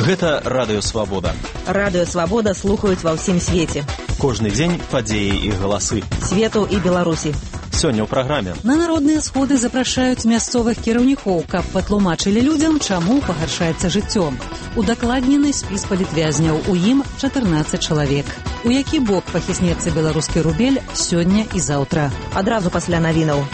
Гэта Радыё Свабода. Радыё Свабода слухаюць ва ўсім свеце. Кожны дзень падзеі і галасы. Свету і Беларусі. Сёння ў праграме. На народныя сходы запрашаюць мясцовых кіраўнікоў, каб патлумачылі людзям, чаму пагаршаецца жыццё. Удакладнены спіс палітвязняў, у ім 14 чалавек. У які бок пахіснецца беларускі рубель сёння і заўтра. Адразу пасля навінаў.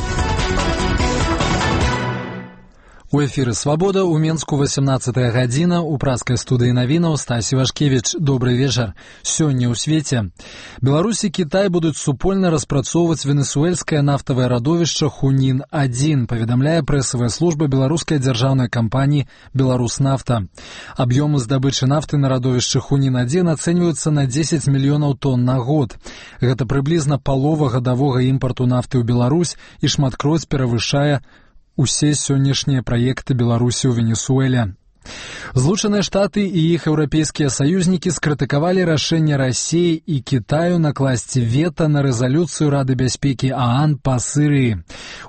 У эфіры «Свабода» у Менску 18 гадзіна, у праскай студыі навінаў Стасі Вашкевіч. Добрый вечар. Сёння ў свеце. Беларусь і Кітай будуць супольна распрацоўваць венесуэльскае нафтавае радовішча Хунін-1, паведамляе прэсавая служба беларускай дзяржаўнай кампаніі «Беларуснафта». Аб'ёмы здабычы нафты на радовішчы Хунін-1 ацэньваюцца на 10 мільёнаў тонн на год. Гэта прыблізна палова гадавога імпарту нафты ў Беларусь і шматкроць перавышае усе сённяшнія праекты Беларусі ў Венесуэле. Злучаныя Штаты і іх еўрапейскія саюзнікі скрытыкавалі рашэнне Расіі і Кітаю накласці вета на рэзалюцыю Рады бяспекі ААН па Сірыі.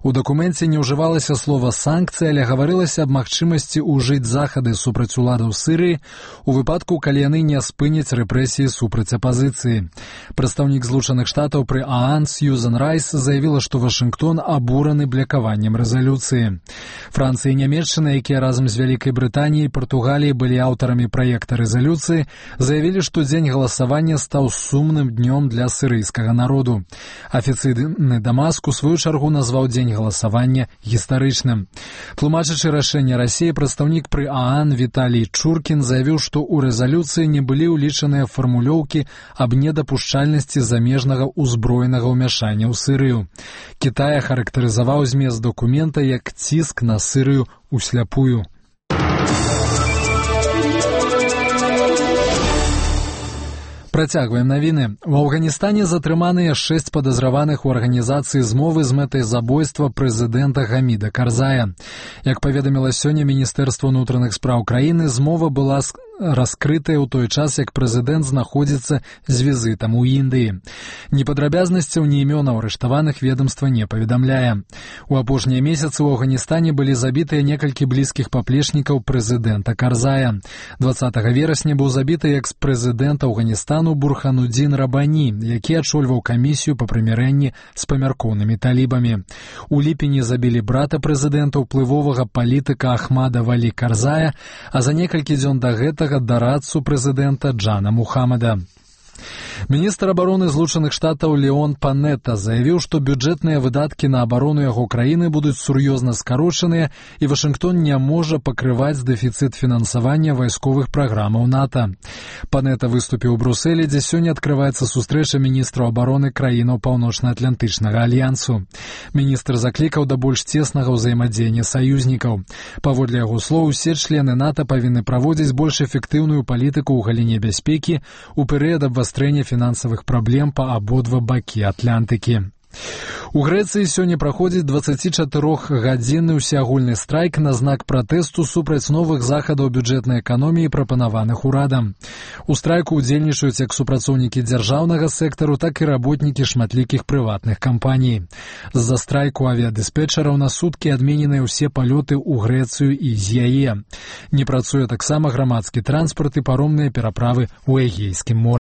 У дакуменце не ўжывалася слова «санкцыі», але гаварылася аб магчымасці ўжыць захады супраць уладаў Сірыі у выпадку, калі яны не спыняць рэпрэсіі супраць апазіцыі. Прадстаўнік Злучаных Штатаў пры ААН Сьюзан Райс заявіла, што Вашынгтон абураны блякаваннем рэзалюцыі. Францыя і Нямецчына, якія разам з Вялікай Брытаніяй і Партугаліі былі аўтарамі праекта рэзалюцыі, заявілі, што дзень галасавання стаў сумным днём для сірыйскага народу. Афіцыйны Дамаск у сваю чаргу назваў дзень галасавання гістарычным. Тлумачачы рашэнне Расіі, прадстаўнік пры ААН Віталій Чуркін заявіў, што ў рэзалюцыі не былі ўлічаныя фармулёўкі аб недапушчальнасці замежнага ўзброенага ўмяшання ў Сірыю. Кітай характарызаваў змест дакумента як ціск на Сірыю усляпую. Працягваем навіны. У Афганістане затрыманыя 6 падазраваных у арганізацыі змовы з мэтай забойства прэзідэнта Гаміда Карзая. Як паведаміла сёння Міністэрства ўнутраных спраў краіны, змова была раскрытая ў той час, як прэзідэнт знаходзіцца з візітам у Індыі. Ні падрабязнасцяў, ні імёнаў арыштаваных ведамства не паведамляе. У апошнія месяцы ў Афганістане былі забітыя некалькі блізкіх паплечнікаў прэзідэнта Карзая. 20 верасня быў забіты экс-прэзідэнт Афганістану Бурханудзін Рабані, які ачольваў камісію па прымірэнні з памяркоўнымі талібамі. У ліпені забілі брата прэзідэнта, уплывовага палітыка Ахмада Валі Карзая, а за некалькі дзён да гэтага дарадцу прэзідэнта Джана Мухаммада. Міністр абароны Злучаных Штатаў Леон Панетта заявіў, што бюджэтныя выдаткі на абарону яго краіны будуць сур'ёзна скарочаныя і Вашынгтон не можа пакрываць дэфіцыт фінансавання вайсковых праграмаў НАТО. Панетта выступіў у Брусэлі, дзе сёння адкрываецца сустрэча міністраў абароны краінаў Паўночна-Атлантычнага альянсу. Міністр заклікаў да больш цеснага ўзаемадзеяння саюзнікаў. Паводле яго слоў, усе члены НАТО павінны праводзіць больш эфектыўную палітыку ў галіне бяспекі ў перыяд абвастрэння фінансавых праблем па абодва бакі Атлантыкі. У Грэцыі сёння праходзіць 24-гадзінны ўсеагульны страйк на знак пратэсту супраць новых захадаў бюджэтнай эканоміі, прапанаваных урадам. У страйку ўдзельнічаюць як супрацоўнікі дзяржаўнага сектару, так і работнікі шматлікіх прыватных кампаній. З-за страйку авіядыспетчараў на суткі адмененыя ўсе палёты ў Грэцыю і з яе. Не працуе таксама грамадскі транспарт і паромныя пераправы ў Эгейскім моры.